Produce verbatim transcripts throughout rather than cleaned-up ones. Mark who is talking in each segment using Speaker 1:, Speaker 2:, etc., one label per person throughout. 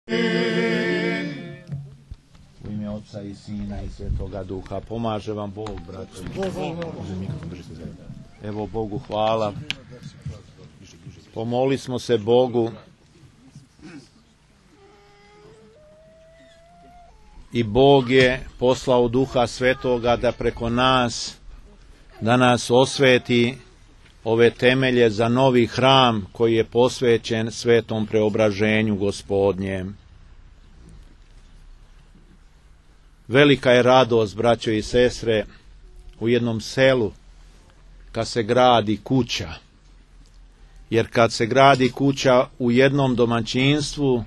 Speaker 1: U ime Otca i Sina i Svetoga Duha. Pomaže vam Bog, braćo. Evo Bogu hvala. Pomoli smo se Bogu i Bog je poslao Duha Svetoga da preko nas, da nas osveti ove temelje za novi hram koji je posvećen svetom preobraženju Gospodnjem. Velika je radost, braćo i sestre, u jednom selu kad se gradi kuća. Jer kad se gradi kuća u jednom domaćinstvu,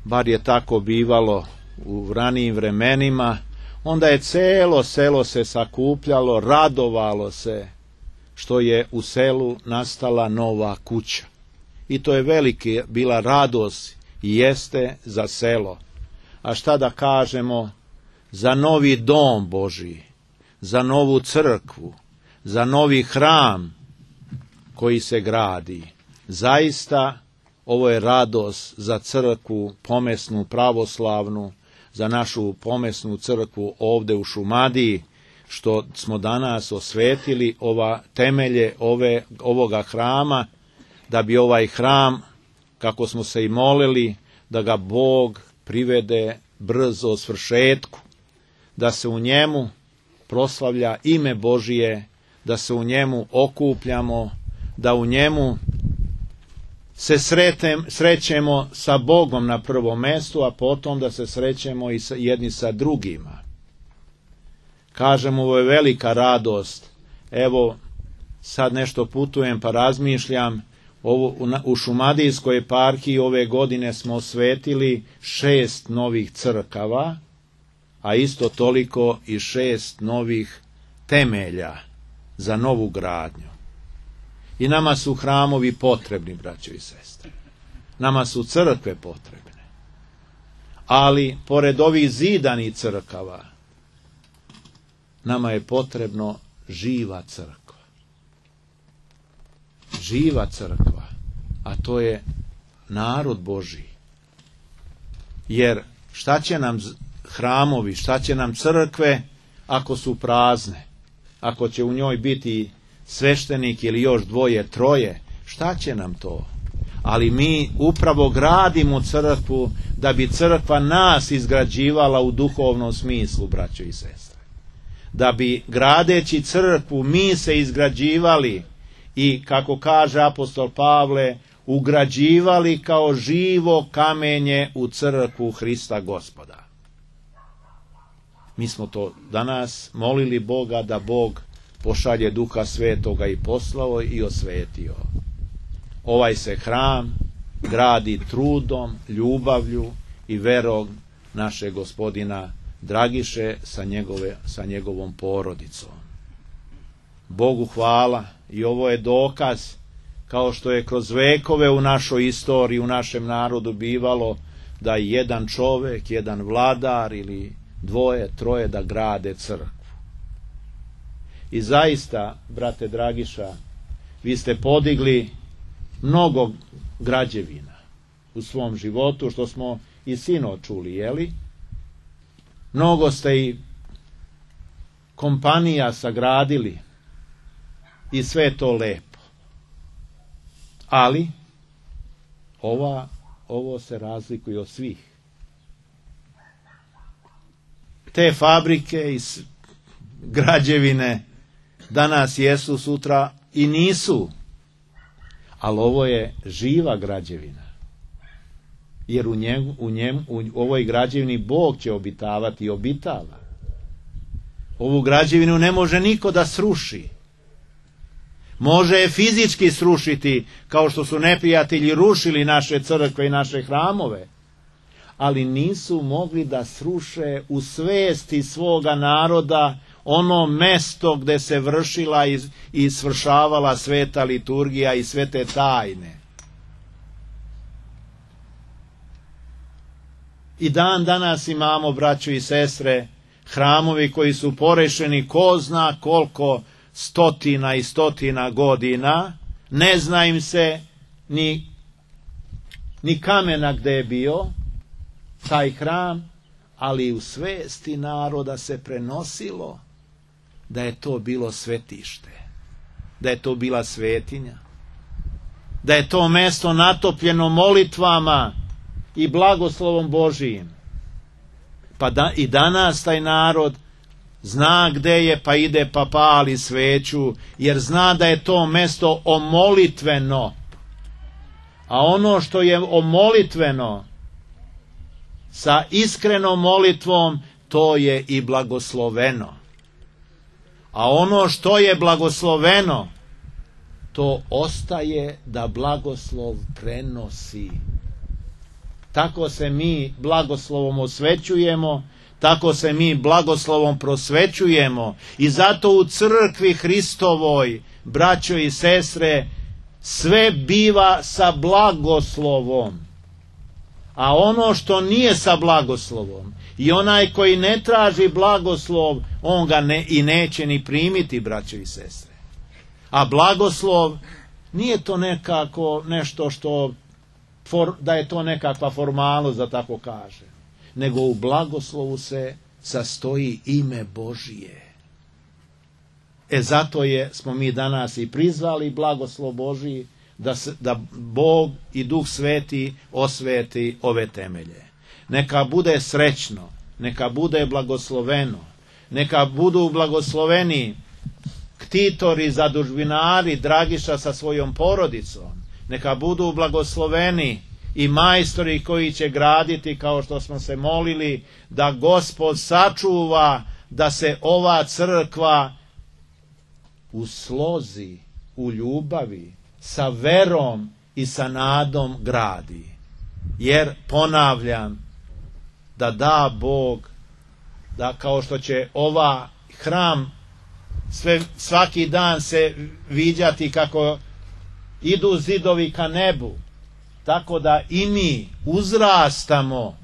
Speaker 1: bar je tako bivalo u ranijim vremenima, onda je celo selo se sakupljalo, radovalo se što je u selu nastala nova kuća. I to je velika bila radost i jeste za selo. A šta da kažemo za novi dom Božji, za novu crkvu, za novi hram koji se gradi. Zaista ovo je radost za crkvu pomesnu pravoslavnu, za našu pomesnu crkvu ovde u Šumadiji, što smo danas osvetili ova temelje ove, ovoga hrama, da bi ovaj hram, kako smo se i molili, da ga Bog privede brzo svršetku, da se u njemu proslavlja ime Božije, da se u njemu okupljamo, da u njemu se sretem, srećemo sa Bogom na prvom mjestu, a potom da se srećemo i sa, jedni sa drugima. Kažemo, ovo je velika radost. Evo, sad nešto putujem pa razmišljam, ovo, u, u Šumadijskoj eparhiji ove godine smo osvetili šest novih crkava, a isto toliko i šest novih temelja za novu gradnju. I nama su hramovi potrebni, braćo i sestre. Nama su crkve potrebne. Ali, pored ovih zidanih crkava, nama je potrebno živa crkva. Živa crkva, a to je narod Božji. Jer šta će nam hramovi, šta će nam crkve ako su prazne? Ako će u njoj biti sveštenik ili još dvoje, troje, šta će nam to? Ali mi upravo gradimo crkvu da bi crkva nas izgrađivala u duhovnom smislu, braćo i sestre. Da bi gradeći crkvu mi se izgrađivali i, kako kaže apostol Pavle, ugrađivali kao živo kamenje u crkvu Hrista Gospoda. Mi smo to danas molili Boga da Bog pošalje Duha Svetoga i poslao i osvetio. Ovaj se hram gradi trudom, ljubavlju i verom našeg gospodina Dragiše sa, njegove, sa njegovom porodicom. Bogu hvala i ovo je dokaz, kao što je kroz vekove u našoj istoriji, u našem narodu bivalo, da jedan čovek, jedan vladar ili dvoje, troje da grade crkvu. I zaista, brate Dragiša, vi ste podigli mnogo građevina u svom životu, što smo i sinoć čuli, jeli? Mnogo ste i kompanija sagradili i sve to lepo. Ali, ova, ovo se razlikuje od svih. Te fabrike i građevine danas jesu, sutra i nisu. Ali ovo je živa građevina. Jer u, njemu, u, njemu, u ovoj građevini Bog će obitavati i obitava. Ovu građevinu ne može niko da sruši. Može je fizički srušiti, kao što su neprijatelji rušili naše crkve i naše hramove. Ali nisu mogli da sruše u svesti svoga naroda ono mesto gde se vršila i, i svršavala sveta liturgija i svete tajne. I dan danas imamo, braćo i sestre, hramovi koji su porešeni ko zna koliko stotina i stotina godina, ne zna im se ni, ni kamena gde je bio, taj hram, ali u svesti naroda se prenosilo da je to bilo svetište, da je to bila svetinja, da je to mesto natopljeno molitvama i blagoslovom Božijim. Pa da, i danas taj narod zna gde je, pa ide pa pali sveću, jer zna da je to mesto omolitveno. A ono što je omolitveno, sa iskrenom molitvom, to je i blagosloveno. A ono što je blagosloveno, to ostaje da blagoslov prenosi. Tako se mi blagoslovom osvećujemo, tako se mi blagoslovom prosvećujemo i zato u crkvi Hristovoj, braćo i sestre, sve biva sa blagoslovom. A ono što nije sa blagoslovom i onaj koji ne traži blagoslov, on ga ne, i neće ni primiti, braćo i sestre. A blagoslov nije to nekako nešto što, for, da je to nekakva formalnost, da tako kaže, nego u blagoslovu se sastoji ime Božije. E zato je, smo mi danas i prizvali blagoslov Božiji, da, se, da Bog i Duh Sveti osveti ove temelje. Neka bude srećno, neka bude blagosloveno, neka budu blagosloveni ktitori, zadužbinari, Dragiša sa svojom porodicom, neka budu blagosloveni i majstori koji će graditi, kao što smo se molili, da Gospod sačuva da se ova crkva u slozi, u ljubavi, sa verom i sa nadom gradi. Jer, ponavljam, da da Bog, da kao što će ova hram sve, svaki dan se viđati kako idu zidovi ka nebu, tako da i mi uzrastamo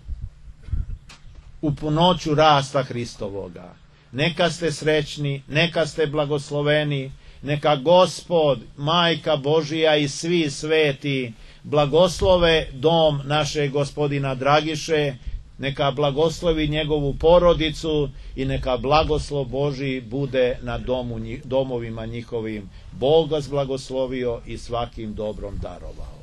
Speaker 1: u punoću rasta Hristovoga. Neka ste srećni, neka ste blagosloveni, neka Gospod, Majka Božija i svi sveti blagoslove dom našeg gospodina Dragiše, neka blagoslovi njegovu porodicu i neka blagoslov Božji bude na domu, domovima njihovim. Bog vas blagoslovio i svakim dobrom darovao.